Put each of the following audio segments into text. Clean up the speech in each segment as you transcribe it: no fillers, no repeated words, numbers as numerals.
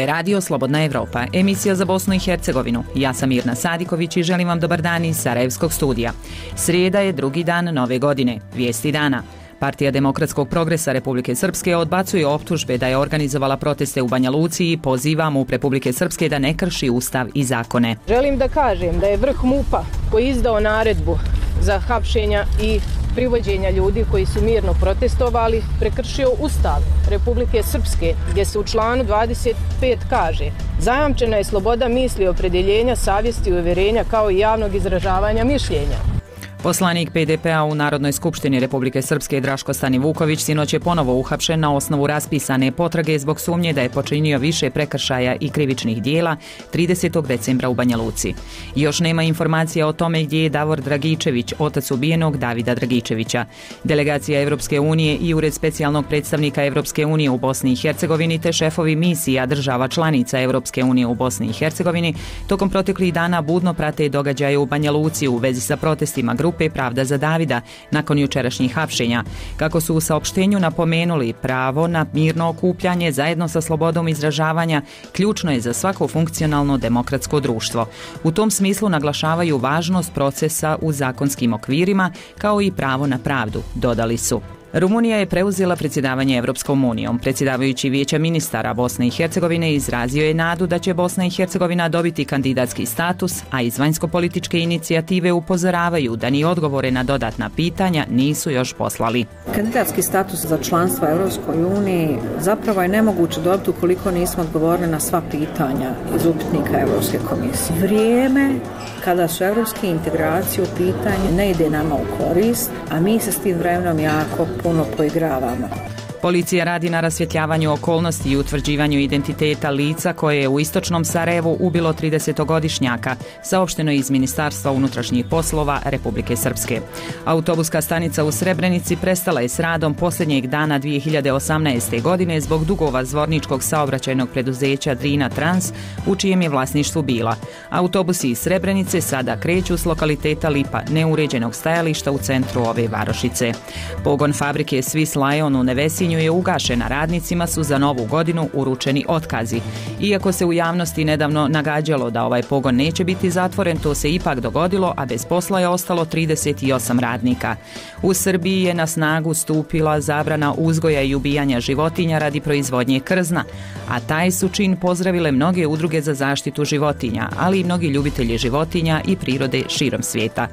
je radio Slobodna Evropa, emisija za Bosnu i Hercegovinu. Ja sam Mirna Sadiković i želim vam dobar dan iz Sarajevskog studija. Srijeda je drugi dan nove godine. Vijesti dana. Partija Demokratskog progresa Republike Srpske odbacuje optužbe da je organizovala proteste u Banja Luci i poziva MUP Republike Srpske da ne krši ustav i zakone. Želim da kažem da je vrh MUP-a koji je izdao naredbu za hapšenja i privođenja ljudi koji su mirno protestovali prekršio Ustav Republike Srpske, gdje se u članu 25 kaže: zajamčena je sloboda misli, opredjeljenja, savjesti i uvjerenja kao i javnog izražavanja mišljenja. Poslanik PDP-a u Narodnoj skupštini Republike Srpske Draško Stanivuković sinoć je ponovo uhapšen na osnovu raspisane potrage zbog sumnje da je počinio više prekršaja i krivičnih dijela 30. decembra u Banja Luci. Još nema informacija o tome gdje je Davor Dragičević, otac ubijenog Davida Dragičevića. Delegacija Evropske unije i Ured specijalnog predstavnika Evropske unije u Bosni i Hercegovini te šefovi misija država članica Evropske unije u Bosni i Hercegovini tokom proteklih dana budno prate događaje u Banja Luci u vezi sa protestima grupe Pravda za Davida nakon jučerašnjih hapšenja. Kako su u saopštenju napomenuli, pravo na mirno okupljanje zajedno sa slobodom izražavanja ključno je za svako funkcionalno demokratsko društvo. U tom smislu naglašavaju važnost procesa u zakonskim okvirima kao i pravo na pravdu, dodali su. Rumunija je preuzela predsjedavanje Evropskom unijom. Predsjedavajući Vijeća ministara Bosne i Hercegovine izrazio je nadu da će Bosna i Hercegovina dobiti kandidatski status, a iz vanjsko-političke inicijative upozoravaju da ni odgovore na dodatna pitanja nisu još poslali. Kandidatski status za članstvo Evropskoj uniji zapravo je nemoguće dobiti ukoliko nismo odgovorili na sva pitanja iz upitnika Evropske komisije. Vrijeme kada su evropske integracije u pitanju ne ide nama u korist, a mi se s tim vremenom jako puno poigravamo. Policija radi na rasvjetljavanju okolnosti i utvrđivanju identiteta lica koje je u istočnom Sarajevu ubilo 30-godišnjaka, saopšteno iz Ministarstva unutrašnjih poslova Republike Srpske. Autobuska stanica u Srebrenici prestala je s radom posljednjeg dana 2018. godine zbog dugova zvorničkog saobraćajnog preduzeća Drina Trans, u čijem je vlasništvu bila. Autobusi iz Srebrenice sada kreću s lokaliteta Lipa, neuređenog stajališta u centru ove varošice. Pogon fabrike Swiss Lion u Nevesinju je ugašena, radnicima su za novu godinu uručeni otkazi. Iako se u javnosti nedavno nagađalo da ovaj pogon neće biti zatvoren, to se ipak dogodilo, a bez posla je ostalo 38 radnika. U Srbiji je na snagu stupila zabrana uzgoja i ubijanja životinja radi proizvodnje krzna, a taj su čin pozdravile mnoge udruge za zaštitu životinja, ali i mnogi ljubitelji životinja i prirode širom svijeta.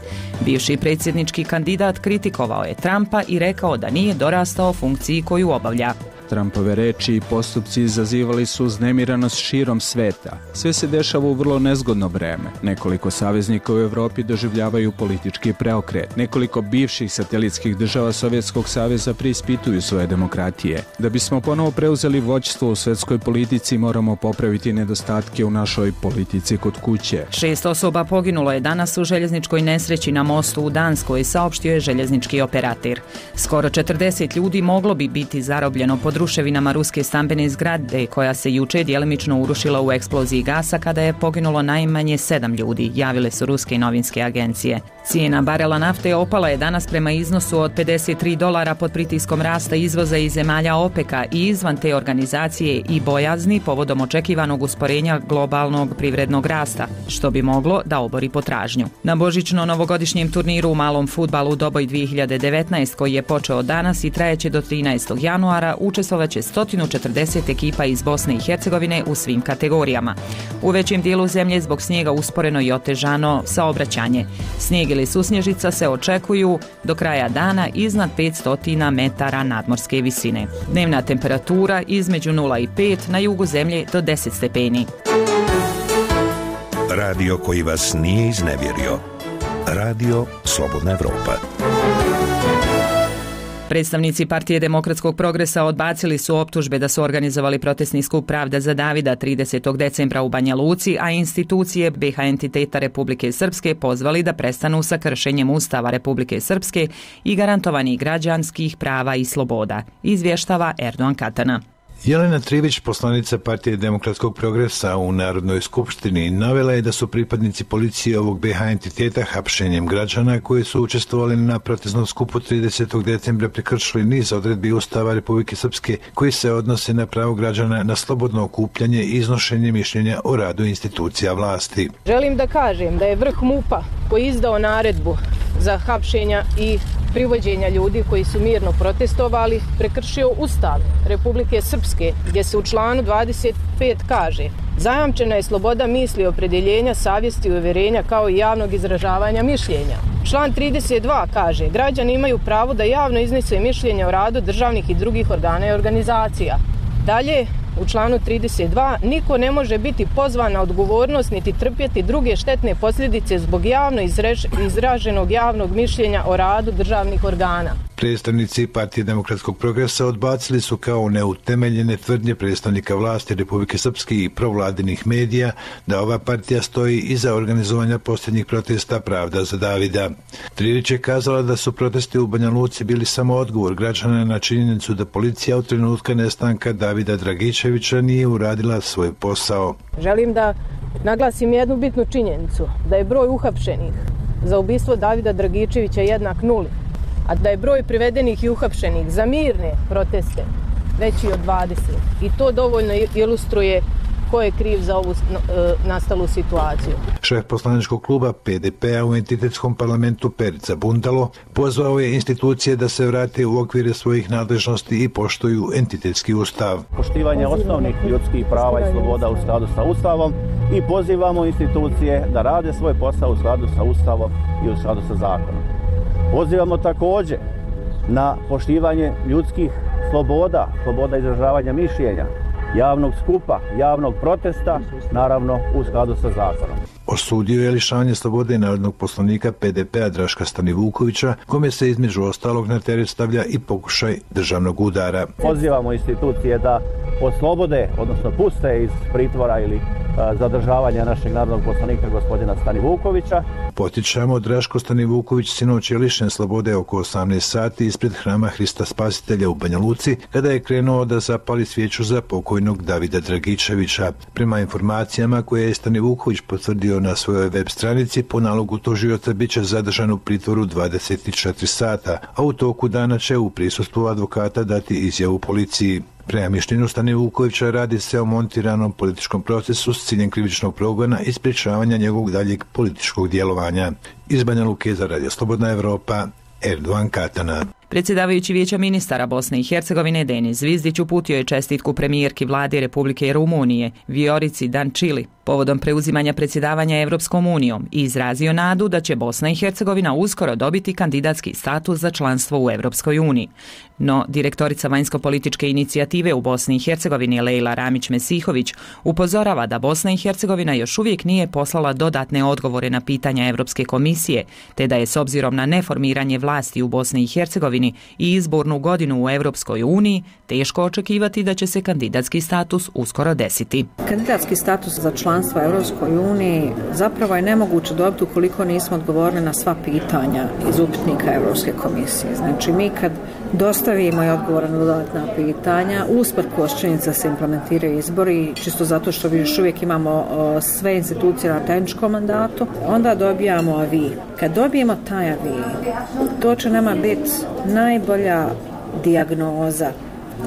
Bivši predsjednički kandidat kritikovao je Trumpa i rekao da nije dorastao funkciji koju obavlja. Trumpove reči i postupci izazivali su uznemiranost širom sveta. Sve se dešava u vrlo nezgodno vreme. Nekoliko saveznika u Evropi doživljavaju politički preokret. Nekoliko bivših satelitskih država Sovjetskog saveza preispituju svoje demokratije. Da bismo ponovo preuzeli vođstvo u svjetskoj politici, moramo popraviti nedostatke u našoj politici kod kuće. 6 osoba poginulo je danas u željezničkoj nesreći na mostu u Danskoj, saopštio je željeznički operator. Skoro 40 ljudi moglo bi biti zarobljeno pod ruševinama ruske stambene zgrade koja se juče djelimično urušila u eksploziji gasa kada je poginulo najmanje 7 ljudi, javile su ruske novinske agencije. Cijena barela nafte opala je danas prema iznosu od $53 pod pritiskom rasta izvoza iz zemalja OPEC-a i izvan te organizacije i bojazni povodom očekivanog usporenja globalnog privrednog rasta, što bi moglo da obori potražnju. Na božićno-novogodišnjem turniru u malom fudbalu Doboj 2019 koji je počeo danas i trajeće do 13. januara učestvovaće 140 ekipa iz Bosne i Hercegovine u svim kategorijama. U većem dijelu zemlje zbog snijega usporeno i otežano saobraćanje. Snijeg ili susnježica se očekuju do kraja dana iznad 500 metara nadmorske visine. Dnevna temperatura između 0 i 5, na jugu zemlje do 10 stepeni. Radio koji vas nije iznevjerio. Radio Slobodna Evropa. Predstavnici Partije Demokratskog progresa odbacili su optužbe da su organizovali protestni skup Pravda za Davida 30. decembra u Banja Luci, a institucije BiH entiteta Republike Srpske pozvali da prestanu sa kršenjem Ustava Republike Srpske i garantovanih građanskih prava i sloboda, izvještava Erdogan Katana. Jelena Trivić, poslanica Partije demokratskog progresa u Narodnoj skupštini, navela je da su pripadnici policije ovog BiH entiteta hapšenjem građana koji su učestvovali na protestnom skupu 30. decembra prekršili niz odredbi Ustava Republike Srpske koji se odnose na pravo građana na slobodno okupljanje i iznošenje mišljenja o radu institucija vlasti. Želim da kažem da je vrh MUP-a koji izdao naredbu za hapšenja i privođenja ljudi koji su mirno protestovali prekršio Ustav Republike Srpske, gdje se u članu 25 kaže: zajamčena je sloboda misli, opredjeljenja, savjesti i uvjerenja kao i javnog izražavanja mišljenja. Član 32 kaže: građani imaju pravo da javno iznese mišljenje o radu državnih i drugih organa i organizacija. Dalje, u članu 32 niko ne može biti pozvan na odgovornost niti trpjeti druge štetne posljedice zbog javno izraženog javnog mišljenja o radu državnih organa. Predstavnici Partije demokratskog progresa odbacili su kao neutemeljene tvrdnje predstavnika vlasti Republike Srpske i provladinih medija da ova partija stoji iza organizovanja posljednjih protesta Pravda za Davida. Trivić je kazala da su protesti u Banja Luci bili samo odgovor građana na činjenicu da policija od trenutka nestanka Davida Dragičevića nije uradila svoj posao. Želim da naglasim jednu bitnu činjenicu, da je broj uhapšenih za ubistvo Davida Dragičevića jednak nuli, a da je broj privedenih i uhapšenih za mirne proteste veći od 20. I to dovoljno ilustruje ko je kriv za ovu nastalu situaciju. Šef poslaničkog kluba PDP-a u entitetskom parlamentu Perica Bundalo pozvao je institucije da se vrate u okvire svojih nadležnosti i poštuju entitetski ustav. Poštivanje osnovnih ljudskih prava i sloboda u skladu sa Ustavom i pozivamo institucije da rade svoj posao u skladu sa Ustavom i u skladu sa zakonom. Pozivamo također na poštivanje ljudskih sloboda, sloboda izražavanja mišljenja, javnog skupa, javnog protesta, naravno u skladu sa zakonom. Osudio je lišavanje slobode narodnog poslanika PDP-a Draška Stanivukovića, kome se između ostalog na teret stavlja i pokušaj državnog udara. Pozivamo institucije da oslobode, odnosno puste iz pritvora ili zadržavanja našeg narodnog poslanika gospodina Stanivukovića. Potičamo, Draško Stanivuković sinoć je lišen slobode oko 18 sati ispred hrama Hrista Spasitelja u Banja Luci, kada je krenuo da zapali svijeću za pokojnog Davida Dragičevića. Prema informacijama koje je Stanivuković potvrdio na svojoj web stranici, po nalogu tužioca bit će zadržan u pritvoru 24 sata, a u toku dana će u prisustvu advokata dati izjavu policiji. Prema mišljenju Stanivukovića radi se o montiranom političkom procesu s ciljem krivičnog progona i sprječavanja njegovog daljeg političkog djelovanja. Iz Banja Luke za Radio Slobodna Evropa, Erdogan Katana. Predsjedavajući Vijeća ministara Bosne i Hercegovine Denis Zvizdić uputio je čestitku premijerki vlade Republike Rumunije Viorici Dančili povodom preuzimanja predsjedavanja Evropskom unijom i izrazio nadu da će Bosna i Hercegovina uskoro dobiti kandidatski status za članstvo u Evropskoj uniji. No, direktorica vanjsko-političke inicijative u Bosni i Hercegovini Lejla Ramić-Mesihović upozorava da Bosna i Hercegovina još uvijek nije poslala dodatne odgovore na pitanja Evropske komisije, te da je s obzirom na neformiranje vlasti u Bosni i Hercegovini i izbornu godinu u Evropskoj uniji teško očekivati da će se kandidatski status uskoro desiti. Kandidatski status za članstvo u Evropskoj uniji zapravo je nemoguće dobiti ukoliko nismo odgovorili na sva pitanja iz upitnika Evropske komisije. Znači mi kad dostavimo i odgovore na dodatna pitanja, usprkos činjenica se implementiraju izbori, čisto zato što još uvijek imamo sve institucije na tehničkom mandatu, onda dobijamo avi. Kad dobijemo taj avi, to će nama biti najbolja dijagnoza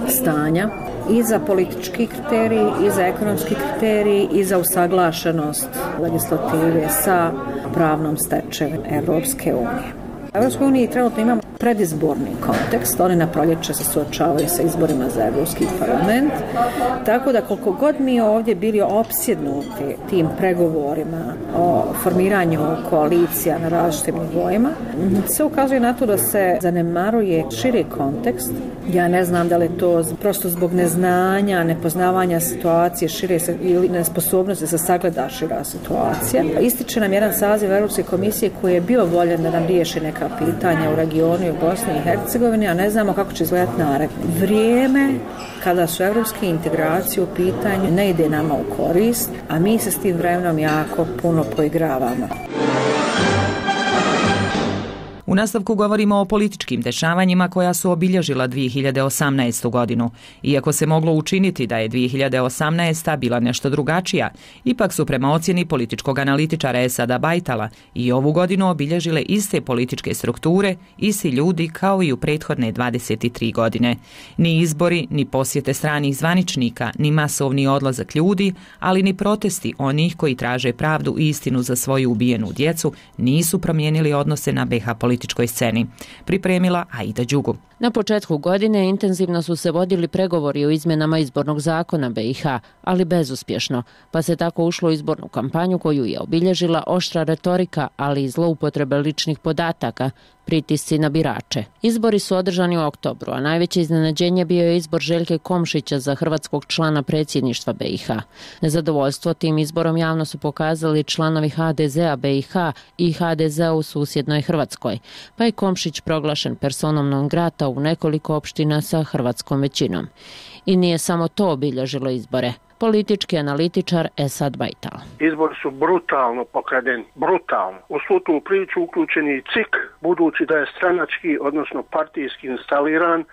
stanja i za politički kriterij, i za ekonomski kriterij, i za usaglašenost legislative sa pravnom stečevinom Evropske unije. U Evropskoj uniji trenutno imamo predizborni kontekst, oni na proljeće se suočavaju sa izborima za Evropski parlament, tako da koliko god mi ovdje bili opsjednuti tim pregovorima o formiranju koalicija na različitim nivoima, se ukazuje na to da se zanemaruje širi kontekst. Ja ne znam da li je to prosto zbog neznanja, nepoznavanja situacije šire ili nesposobnosti da se sagleda šira situacija. Ističe nam jedan saziv Europske komisije koji je bio voljen da nam riješi neka pitanja u regionu i u Bosni i Hercegovini, a ne znamo kako će izgledati naredno. Vrijeme kada su evropske integracije u pitanju ne ide nama u korist, a mi se s tim vremenom jako puno poigravamo. U U nastavku govorimo o političkim dešavanjima koja su obilježila 2018. godinu. Iako se moglo učiniti da je 2018. bila nešto drugačija, ipak su prema ocjeni političkog analitičara Esada Bajtala i ovu godinu obilježile iste političke strukture, isti ljudi kao i u prethodne 23 godine. Ni izbori, ni posjete stranih zvaničnika, ni masovni odlazak ljudi, ali ni protesti onih koji traže pravdu i istinu za svoju ubijenu djecu nisu promijenili odnose na BiH političkoj sceni. Pripremila Aida Đugu. Na početku godine intenzivno su se vodili pregovori o izmjenama izbornog zakona BiH, ali bezuspješno, pa se tako ušlo u izbornu kampanju koju je obilježila oštra retorika, ali i zloupotrebe ličnih podataka, pritisci na birače. Izbori su održani u oktobru, a najveće iznenađenje bio je izbor Željke Komšića za hrvatskog člana predsjedništva BiH. Nezadovoljstvo tim izborom javno su pokazali članovi HDZ-a BiH i HDZ-a u susjednoj Hrvatskoj, pa je Komšić proglašen personom non grata u nekoliko opština sa hrvatskom većinom. I nije samo to obilježilo izbore. Politički analitičar Esad Bajtal. Izbori su brutalno pokradeni, brutalno. U svu tu priču uključeni i CIK, budući da je stranački, odnosno partijski instaliran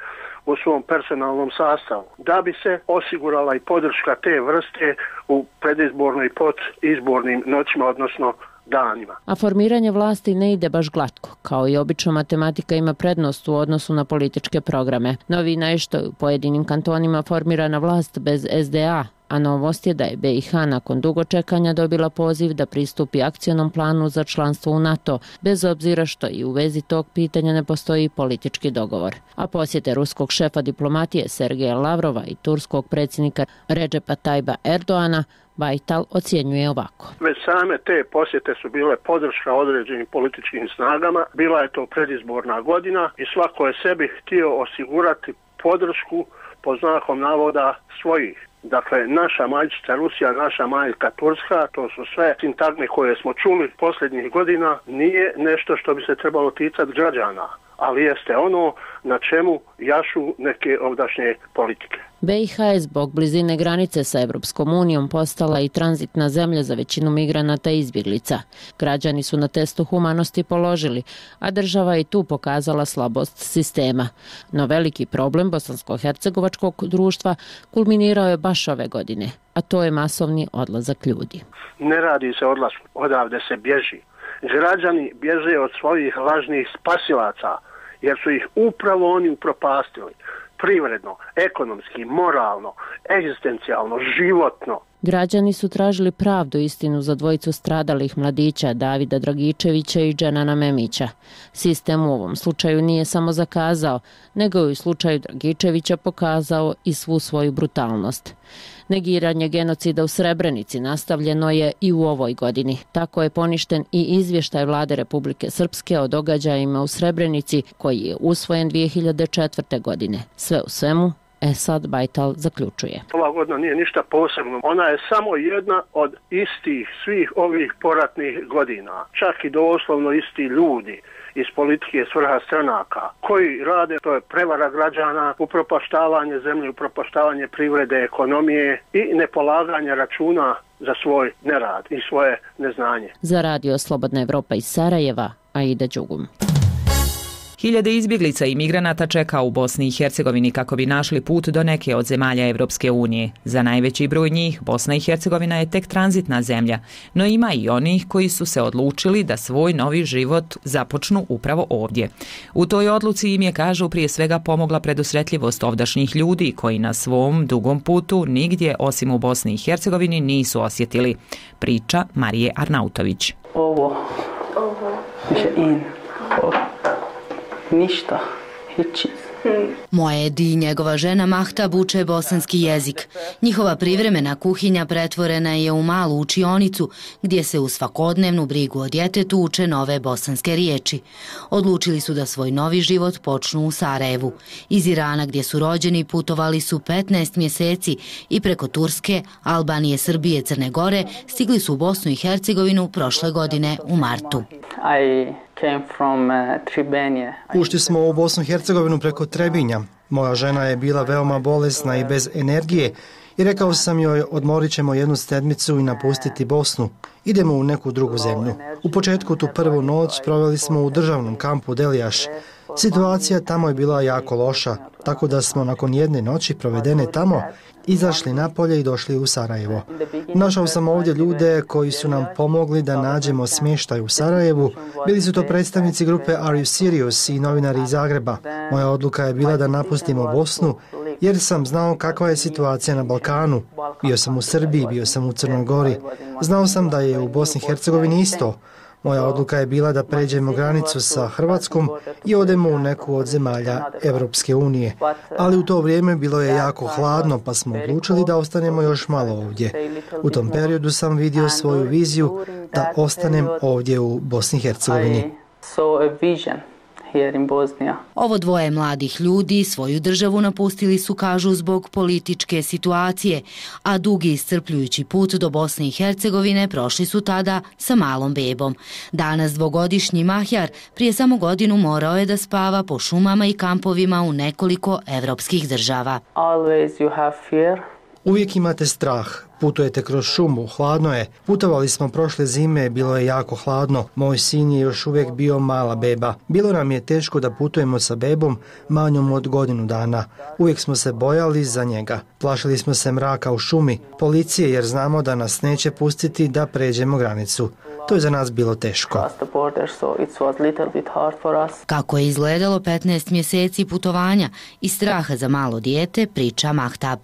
u svom personalnom sastavu, da bi se osigurala i podrška te vrste u predizbornoj i podizbornim noćima, odnosno danima. A formiranje vlasti ne ide baš glatko. Kao i obično, matematika ima prednost u odnosu na političke programe. Novina je što je u pojedinim kantonima formirana vlast bez SDA, a novost je da je BiH nakon dugo čekanja dobila poziv da pristupi akcionom planu za članstvo u NATO, bez obzira što i u vezi tog pitanja ne postoji politički dogovor. A posjete ruskog šefa diplomatije Sergeja Lavrova i turskog predsjednika Recepa Tayyipa Erdoana Bajtal ocjenjuje ovako. Već same te posjete su bile podrška određenim političkim snagama, bila je to predizborna godina i svako je sebi htio osigurati podršku po znakom navoda svojih. Dakle, naša majčica Rusija, naša majka Turska, to su sve sintagme koje smo čuli posljednjih godina, nije nešto što bi se trebalo ticati građana, ali jeste ono na čemu jašu neke ovdašnje politike. BiH je zbog blizine granice sa Europskom unijom postala i tranzitna zemlja za većinu migranata i izbjeglica. Građani su na testu humanosti položili, a država je tu pokazala slabost sistema. No veliki problem bosansko-hercegovačkog društva kulminirao je baš ove godine, a to je masovni odlazak ljudi. Ne radi se odlasku, odavde se bježi. Građani bježe od svojih lažnih spasilaca, jer su ih upravo oni upropastili. Privredno, ekonomski, moralno, egzistencijalno, životno. Građani su tražili pravdu i istinu za dvojicu stradalih mladića Davida Dragičevića i Dženana Memića. Sistem u ovom slučaju nije samo zakazao, nego je u slučaju Dragičevića pokazao i svu svoju brutalnost. Negiranje genocida u Srebrenici nastavljeno je i u ovoj godini. Tako je poništen i izvještaj Vlade Republike Srpske o događajima u Srebrenici koji je usvojen 2004. godine. Sve u svemu, Esad Bajtal zaključuje. Ova godina nije ništa posebno. Ona je samo jedna od istih svih ovih poratnih godina. Čak i doslovno isti ljudi iz politike svrha stranaka koji rade, to je prevara građana, upropaštavanje zemlje, upropaštavanje privrede, ekonomije i nepolaganje računa za svoj nerad i svoje neznanje. Za Radio Slobodna Evropa iz Sarajeva, Aida Đugum. Hiljade izbjeglica i migranata čeka u Bosni i Hercegovini kako bi našli put do neke od zemalja Evropske unije. Za najveći broj njih Bosna i Hercegovina je tek tranzitna zemlja, no ima i onih koji su se odlučili da svoj novi život započnu upravo ovdje. U toj odluci im je, kažu, prije svega pomogla predusretljivost ovdašnjih ljudi koji na svom dugom putu nigdje osim u Bosni i Hercegovini nisu osjetili. Priča Marije Arnautović. Ništa, hići. Moedi i njegova žena Mahtab uče bosanski jezik. Njihova privremena kuhinja pretvorena je u malu učionicu gdje se u svakodnevnu brigu o djetetu uče nove bosanske riječi. Odlučili su da svoj novi život počnu u Sarajevu. Iz Irana gdje su rođeni putovali su 15 mjeseci i preko Turske, Albanije, Srbije, Crne Gore stigli su u Bosnu i Hercegovinu prošle godine u martu. Ušli smo u Bosnu i Hercegovinu preko Trebinja. Moja žena je bila veoma bolesna i bez energije i rekao sam joj odmorit ćemo jednu sedmicu i napustiti Bosnu. Idemo u neku drugu zemlju. U početku tu prvu noć proveli smo u državnom kampu Delijaš. Situacija tamo je bila jako loša, tako da smo nakon jedne noći provedene tamo izašli napolje i došli u Sarajevo. Našao sam ovdje ljude koji su nam pomogli da nađemo smještaj u Sarajevu. Bili su to predstavnici grupe Are You Serious i novinari iz Zagreba. Moja odluka je bila da napustimo Bosnu jer sam znao kakva je situacija na Balkanu. Bio sam u Srbiji, bio sam u Crnoj Gori. Znao sam da je u Bosni i Hercegovini isto. Moja odluka je bila da pređemo granicu sa Hrvatskom i odemo u neku od zemalja Evropske unije. Ali u to vrijeme bilo je jako hladno, pa smo odlučili da ostanemo još malo ovdje. U tom periodu sam vidio svoju viziju da ostanem ovdje u Bosni i Hercegovini. Ovo dvoje mladih ljudi svoju državu napustili su, kažu, zbog političke situacije, a dugi iscrpljujući put do Bosne i Hercegovine prošli su tada sa malom bebom. Danas dvogodišnji Mahjar prije samo godinu morao je da spava po šumama i kampovima u nekoliko evropskih država. Uvijek imate strah. Putujete kroz šumu, hladno je. Putovali smo prošle zime, bilo je jako hladno. Moj sin je još uvijek bio mala beba. Bilo nam je teško da putujemo sa bebom manjom od godinu dana. Uvijek smo se bojali za njega. Plašili smo se mraka u šumi, policije, jer znamo da nas neće pustiti da pređemo granicu. To je za nas bilo teško. Kako je izgledalo 15 mjeseci putovanja i straha za malo dijete, priča Mahtab.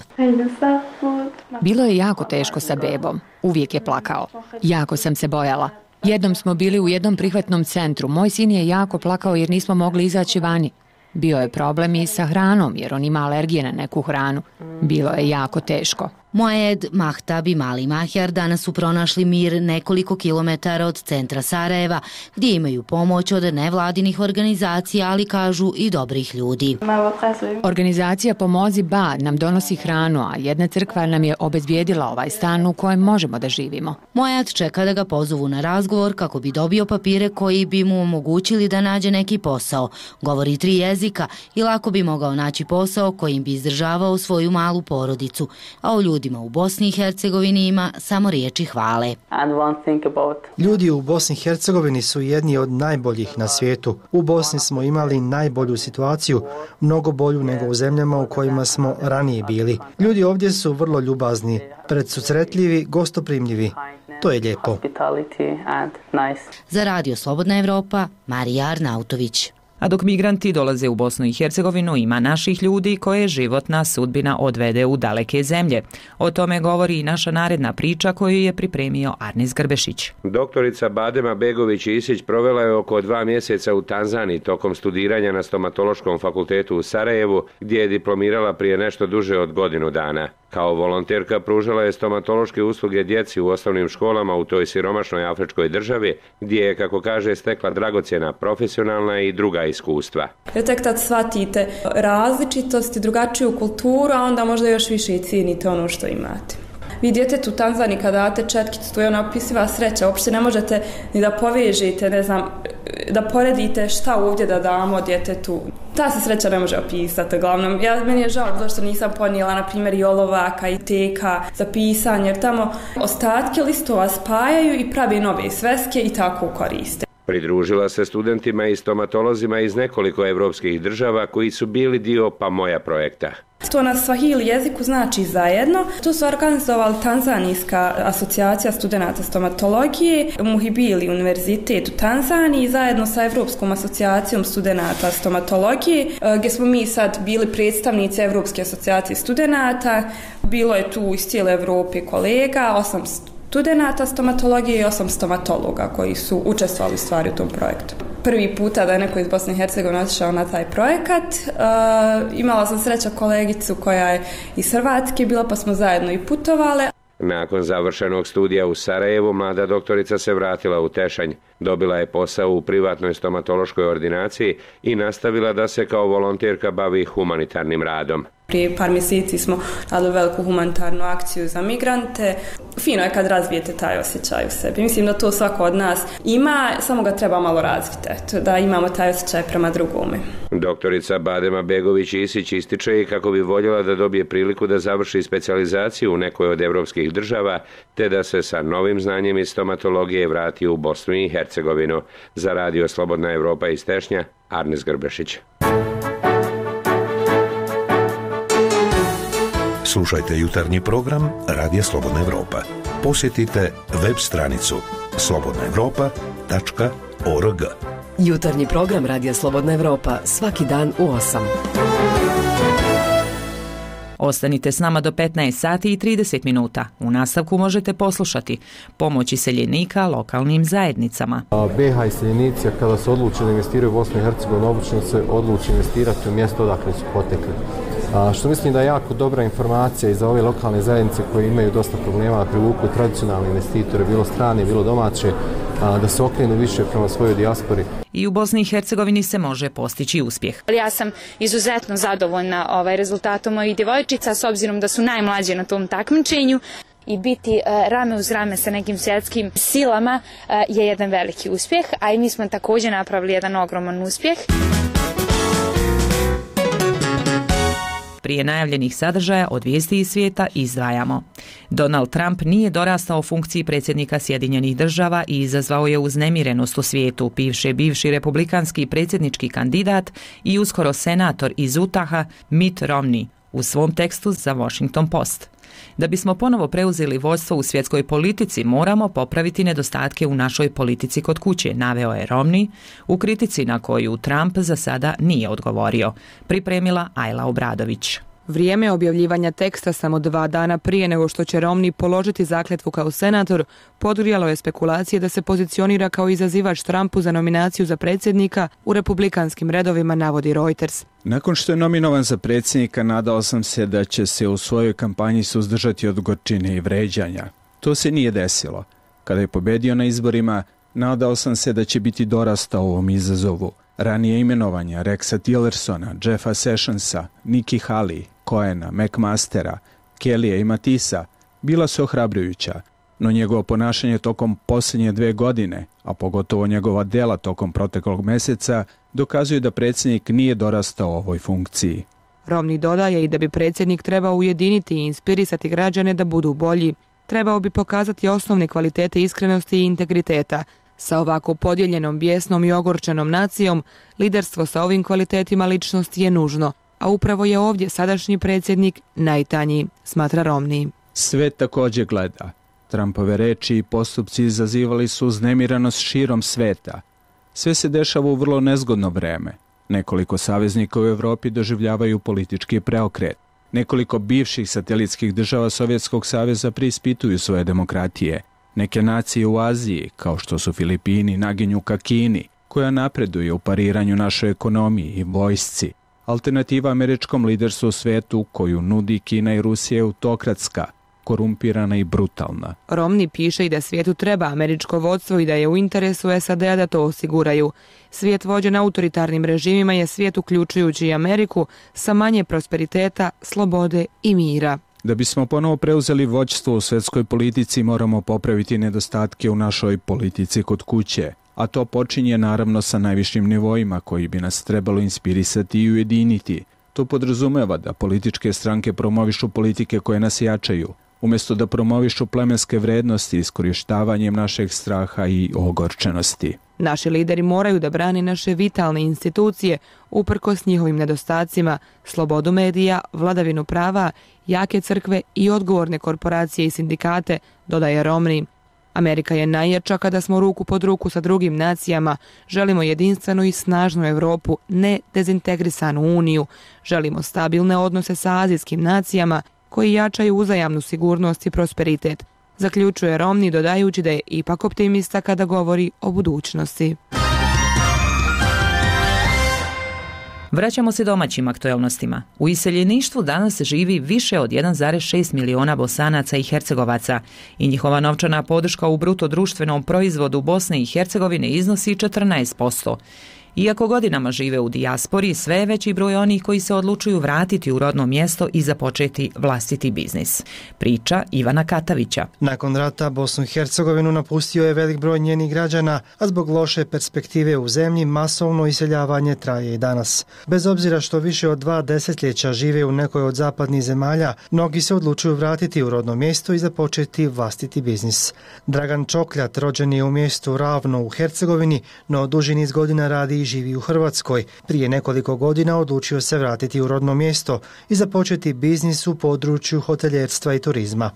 Bilo je jako teško sa bebom. Uvijek je plakao. Jako sam se bojala. Jednom smo bili u jednom prihvatnom centru. Moj sin je jako plakao jer nismo mogli izaći vani. Bio je problem i sa hranom jer on ima alergije na neku hranu. Bilo je jako teško. Moed, Mahtab i mali Mahjar danas su pronašli mir nekoliko kilometara od centra Sarajeva, gdje imaju pomoć od nevladinih organizacija, ali kažu i dobrih ljudi. Organizacija Pomozi Ba nam donosi hranu, a jedna crkva nam je obezbijedila ovaj stan u kojem možemo da živimo. Moed čeka da ga pozovu na razgovor kako bi dobio papire koji bi mu omogućili da nađe neki posao. Govori 3 jezika i lako bi mogao naći posao kojim bi izdržavao svoju malu porodicu, a o ljudima u Bosni i Hercegovini ima samo riječi hvale. Ljudi u Bosni i Hercegovini su jedni od najboljih na svijetu. U Bosni smo imali najbolju situaciju, mnogo bolju nego u zemljama u kojima smo ranije bili. Ljudi ovdje su vrlo ljubazni, predsusretljivi, gostoprimljivi. To je lijepo. Za Radio Slobodna Evropa, Marija Arnautović. A dok migranti dolaze u Bosnu i Hercegovinu, ima naših ljudi koje životna sudbina odvede u daleke zemlje. O tome govori i naša naredna priča koju je pripremio Arnis Grbešić. Doktorica Badema Begović-Isić provela je oko 2 mjeseca u Tanzaniji tokom studiranja na stomatološkom fakultetu u Sarajevu, gdje je diplomirala prije nešto duže od godinu dana. Kao volonterka pružala je stomatološke usluge djeci u osnovnim školama u toj siromašnoj afričkoj državi, gdje je, kako kaže, stekla dragocjena profesionalna i druga iskustva. Jer tek tad shvatite različitost i drugačiju kulturu, a onda možda još više i cijenite ono što imate. Vi djetetu u Tanzaniji kada date četkicu, to je ona opisiva sreća, uopšte ne možete ni da povežete, ne znam, da poredite šta ovdje da damo djetetu. Ta se sreća ne može opisati, uglavnom. Meni je žao zašto nisam ponijela, na primjer, i olovaka i teka za pisanje, jer tamo ostatke listova spajaju i pravi nove sveske i tako koriste. Pridružila se studentima i stomatolozima iz nekoliko evropskih država koji su bili dio Pa moja projekta. To na svahili jeziku znači zajedno. Tu su organizovali Tanzanijska asocijacija studenata stomatologije, Muhibili univerzitet u Tanzaniji zajedno sa Evropskom asocijacijom studenata stomatologije, gdje smo mi sad bili predstavnici Evropske asocijacije studenata. Bilo je tu iz cijele Evrope kolega, 8 studenata stomatologije i 8 stomatologa koji su učestvovali u stvari u tom projektu. Prvi puta da je neko iz Bosne i Hercegovine otišao na taj projekat. Imala sam sreća kolegicu koja je iz Hrvatske bila, pa smo zajedno i putovale. Nakon završenog studija u Sarajevu, mlada doktorica se vratila u Tešanj. Dobila je posao u privatnoj stomatološkoj ordinaciji i nastavila da se kao volonterka bavi humanitarnim radom. Prije par mjeseci smo radili veliku humanitarnu akciju za migrante. Fino je kad razvijete taj osjećaj u sebi. Mislim da to svako od nas ima, samo ga treba malo razviti, da imamo taj osjećaj prema drugome. Doktorica Badema Begović-Isić ističe i kako bi voljela da dobije priliku da završi specijalizaciju u nekoj od evropskih država, te da se sa novim znanjem iz stomatologije vrati u Bosnu i Hercegovinu. Za Radio Slobodna Evropa iz Tešnja, Arnes Grbešić. Slušajte jutarnji program Radija Slobodna Evropa. Posjetite web stranicu slobodnaevropa.org. Jutarnji program Radija Slobodna Evropa svaki dan u 8. Ostanite s nama do 15 sati i 30 minuta. U nastavku možete poslušati pomoć iseljenika lokalnim zajednicama. BiH iseljenici kada se odluče da investiraju u Bosnu i Hercegovinu, obično se odluče investirati u mjesto odakle su potekli. Što mislim da je jako dobra informacija i za ove lokalne zajednice koje imaju dosta problema da privuku tradicionalne investitore, bilo strane, bilo domaće, da se okrenu više prema svojoj dijaspori. I u Bosni i Hercegovini se može postići uspjeh. Ja sam izuzetno zadovoljna rezultatom mojih djevojčica s obzirom da su najmlađe na tom takmičenju. I biti rame uz rame sa nekim svjetskim silama je jedan veliki uspjeh, a i mi smo također napravili jedan ogroman uspjeh. Prije najavljenih sadržaja od vijesti iz svijeta izdvajamo. Donald Trump nije dorastao funkciji predsjednika Sjedinjenih država i izazvao je uznemirenost u svijetu, piše bivši republikanski predsjednički kandidat i uskoro senator iz Utaha Mitt Romney u svom tekstu za Washington Post. Da bismo ponovo preuzeli vodstvo u svjetskoj politici, moramo popraviti nedostatke u našoj politici kod kuće, naveo je Romney u kritici na koju Trump za sada nije odgovorio. Pripremila Ajla Obradović. Vrijeme objavljivanja teksta samo 2 dana prije nego što će Romney položiti zakletvu kao senator, podgrijalo je spekulacije da se pozicionira kao izazivač Trumpu za nominaciju za predsjednika u republikanskim redovima, navodi Reuters. Nakon što je nominovan za predsjednika, nadao sam se da će se u svojoj kampanji suzdržati od gorčine i vređanja. To se nije desilo. Kada je pobedio na izborima, nadao sam se da će biti dorastao ovom izazovu. Ranije imenovanja Rexa Tillersona, Jeffa Sessionsa, Nikki Haley, Cohena, McMastera, Kellya i Matisa bila su ohrabrujuća, no njegovo ponašanje tokom posljednje 2 godine, a pogotovo njegova dela tokom proteklog mjeseca, dokazuju da predsjednik nije dorastao ovoj funkciji. Romney dodaje i da bi predsjednik trebao ujediniti i inspirisati građane da budu bolji. Trebao bi pokazati osnovne kvalitete iskrenosti i integriteta. Sa ovako podijeljenom, bijesnom i ogorčenom nacijom, liderstvo sa ovim kvalitetima ličnosti je nužno, a upravo je ovdje sadašnji predsjednik najtanji, smatra Romney. Sve također gleda. Trumpove reči i postupci izazivali su uznemiranost širom sveta. Sve se dešava u vrlo nezgodno vreme. Nekoliko saveznika u Europi doživljavaju politički preokret. Nekoliko bivših satelitskih država Sovjetskog saveza preispituju svoje demokratije. Neke nacije u Aziji, kao što su Filipini, naginju ka Kini, koja napreduje u pariranju našoj ekonomiji i vojsci. Alternativa američkom liderstvu u svetu koju nudi Kina i Rusija je autokratska, korumpirana i brutalna. Romney piše i da svijetu treba američko vodstvo i da je u interesu SAD-a da to osiguraju. Svijet vođen autoritarnim režimima je svijet uključujući i Ameriku sa manje prosperiteta, slobode i mira. Da bismo ponovo preuzeli vođstvo u svjetskoj politici, moramo popraviti nedostatke u našoj politici kod kuće, a to počinje naravno sa najvišim nivoima koji bi nas trebalo inspirisati i ujediniti. To podrazumeva da političke stranke promovišu politike koje nas jačaju, umjesto da promovišu plemenske vrednosti iskorištavanjem našeg straha i ogorčenosti. Naši lideri moraju da brani naše vitalne institucije uprkos njihovim nedostacima, slobodu medija, vladavinu prava, jake crkve i odgovorne korporacije i sindikate, dodaje Romney. Amerika je najjača kada smo ruku pod ruku sa drugim nacijama. Želimo jedinstvenu i snažnu Europu, ne dezintegrisanu uniju. Želimo stabilne odnose sa azijskim nacijama koji jačaju uzajamnu sigurnost i prosperitet. Zaključuje Romney dodajući da je ipak optimista kada govori o budućnosti. Vraćamo se domaćim aktuelnostima. U iseljeništvu danas živi više od 1,6 miliona Bosanaca i Hercegovaca i njihova novčana podrška u bruto društvenom proizvodu Bosne i Hercegovine iznosi 14%. Iako godinama žive u dijaspori, sve je veći broj onih koji se odlučuju vratiti u rodno mjesto i započeti vlastiti biznis. Priča Ivana Katavića. Nakon rata Bosnu i Hercegovinu napustio je velik broj njenih građana, a zbog loše perspektive u zemlji masovno iseljavanje traje i danas. Bez obzira što više od 2 desetljeća žive u nekoj od zapadnih zemalja, mnogi se odlučuju vratiti u rodno mjesto i započeti vlastiti biznis. Dragan Čokljat rođen je u mjestu Ravno u Hercegovini, no duži niz godina radi i živi u Hrvatskoj. Prije nekoliko godina odlučio se vratiti u rodno mjesto i započeti biznis u području hoteljerstva i turizma.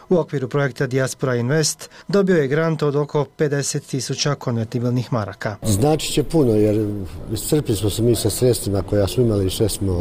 U okviru projekta Diaspora Invest dobio je grant od oko 50.000 konvertibilnih maraka. Znači će puno jer iscrpili smo se mi sa sredstvima koja smo imali i sve smo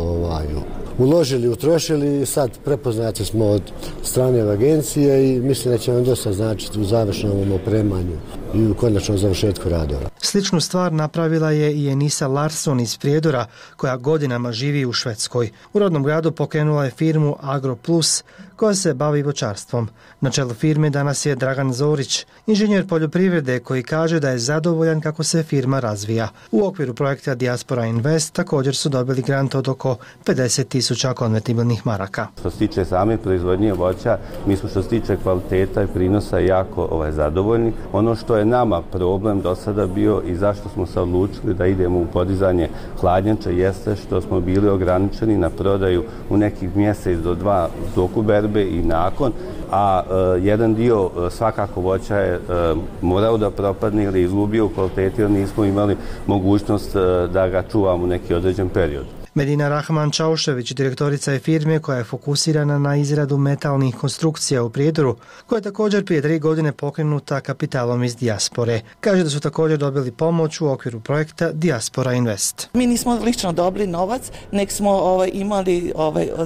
uložili, utrošili i sad prepoznati smo od strane agencije i mislim da će vam dosta značiti u završnom opremanju i u konačnom završetku radova. Sličnu stvar napravila je i Enisa Larsson iz Prijedora, koja godinama živi u Švedskoj. U rodnom gradu pokrenula je firmu AgroPlus, koja se bavi voćarstvom. Na čelu firme danas je Dragan Zorić, inženjer poljoprivrede koji kaže da je zadovoljan kako se firma razvija. U okviru projekta Diaspora Invest također su dobili grant od oko 50.000 konvertibilnih maraka. Što se tiče same proizvodnje voća, mi smo što se tiče kvaliteta i prinosa jako zadovoljni. Ono što je nama problem do sada bio i zašto smo se odlučili da idemo u podizanje hladnjača jeste što smo bili ograničeni na prodaju u nekih mjesec do 2 toku berbe i nakon, a jedan dio svakako voća je morao da propadne ili izgubio u kvaliteti jer nismo imali mogućnost da ga čuvamo u neki određen period. Medina Rahman Čaušević, direktorica je firme koja je fokusirana na izradu metalnih konstrukcija u Prijedoru, koja je također prije 3 godine pokrenuta kapitalom iz dijaspore. Kaže da su također dobili pomoć u okviru projekta Diaspora Invest. Mi nismo lično dobili novac, nek smo imali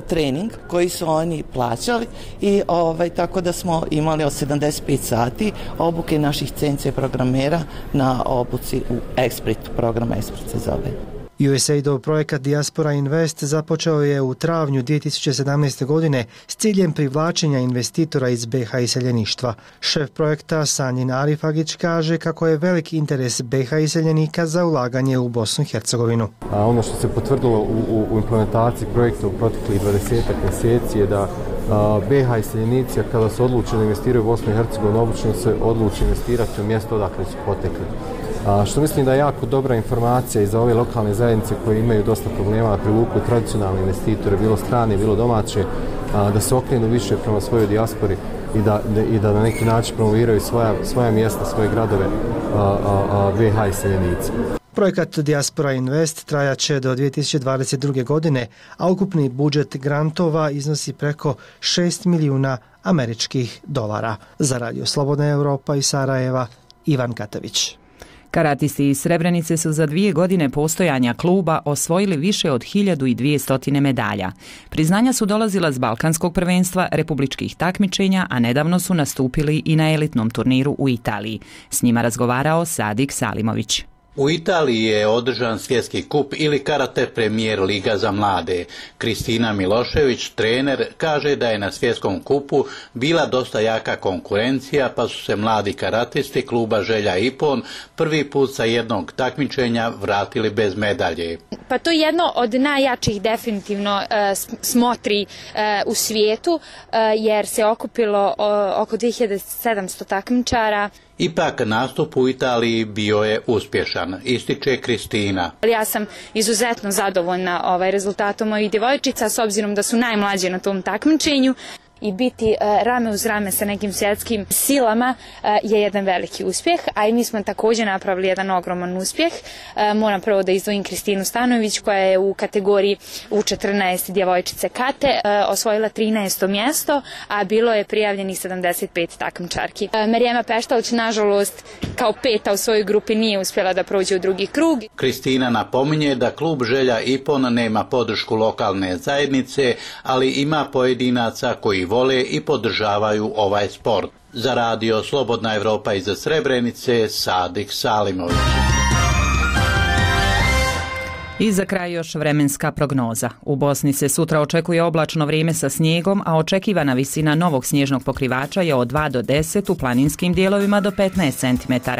trening koji su oni plaćali i tako da smo imali od 75 sati obuke naših CNC programera na obuci u Esprit, program Esprit se zove. USAID-ov projekat Diaspora Invest započeo je u travnju 2017. godine s ciljem privlačenja investitora iz BiH iseljeništva. Šef projekta Sanjin Arifagić kaže kako je veliki interes BiH iseljenika za ulaganje u Bosnu i Hercegovinu. Ono što se potvrdilo u implementaciji projekta u proteklih 20 mjeseci je da BiH iseljenici kada se odluče da investiraju u Bosnu i Hercegovinu, obično se odluče investirati u mjesto odakle su potekli. Što mislim da je jako dobra informacija i za ove lokalne zajednice koje imaju dosta problema da privuku tradicionalne investitore, bilo strane, bilo domaće, da se okrenu više prema svojoj dijaspori i da na neki način promoviraju svoja mjesta, svoje gradove BiH iseljenici. Projekat Diaspora Invest trajaće do 2022. godine, a ukupni budžet grantova iznosi preko 6 milijuna američkih dolara. Za Radio Slobodna Evropa iz Sarajeva, Ivan Katavić. Karatisti iz Srebrenice su za 2 godine postojanja kluba osvojili više od 1200 medalja. Priznanja su dolazila s Balkanskog prvenstva, republičkih takmičenja, a nedavno su nastupili i na elitnom turniru u Italiji. S njima razgovarao Sadik Salimović. U Italiji je održan svjetski kup ili karate premijer liga za mlade. Kristina Milošević, trener, kaže da je na svjetskom kupu bila dosta jaka konkurencija, pa su se mladi karatisti kluba Želja Ipon prvi put sa jednog takmičenja vratili bez medalje. Pa to je jedno od najjačih definitivno smotri u svijetu, jer se okupilo oko 2700 takmičara. Ipak nastup u Italiji bio je uspješan, ističe Kristina. Ja sam izuzetno zadovoljna rezultatom mojih djevojčica s obzirom da su najmlađe na tom takmičenju. I biti rame uz rame sa nekim svjetskim silama je jedan veliki uspjeh, a i mi smo također napravili jedan ogroman uspjeh. Moram prvo da izdvojim Kristinu Stanović koja je u kategoriji U14 djevojčice kate osvojila 13. mjesto, a bilo je prijavljenih 75 takmičarki. Marijema Peštović, nažalost, kao 5. u svojoj grupi nije uspjela da prođe u drugi krug. Kristina napominje da klub Želja Ipon nema podršku lokalne zajednice, ali ima pojedinaca koji vole i podržavaju ovaj sport. Za Radio Slobodna Evropa iz Srebrenice, Sadik Salimović. I za kraj još vremenska prognoza. U Bosni se sutra očekuje oblačno vrijeme sa snijegom, a očekivana visina novog snježnog pokrivača je od 2 do 10, u planinskim dijelovima do 15 cm.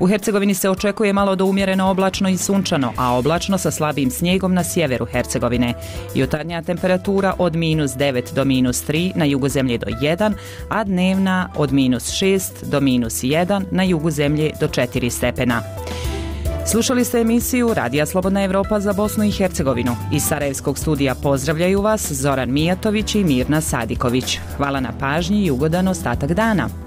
U Hercegovini se očekuje malo do umjereno oblačno i sunčano, a oblačno sa slabim snijegom na sjeveru Hercegovine. Jutarnja temperatura od -9 do -3, na jugu zemlje do 1, a dnevna od -6 do -1, na jugu zemlje do 4 stepena. Slušali ste emisiju Radija Slobodna Evropa za Bosnu i Hercegovinu. Iz Sarajevskog studija pozdravljaju vas Zoran Mijatović i Mirna Sadiković. Hvala na pažnji i ugodan ostatak dana.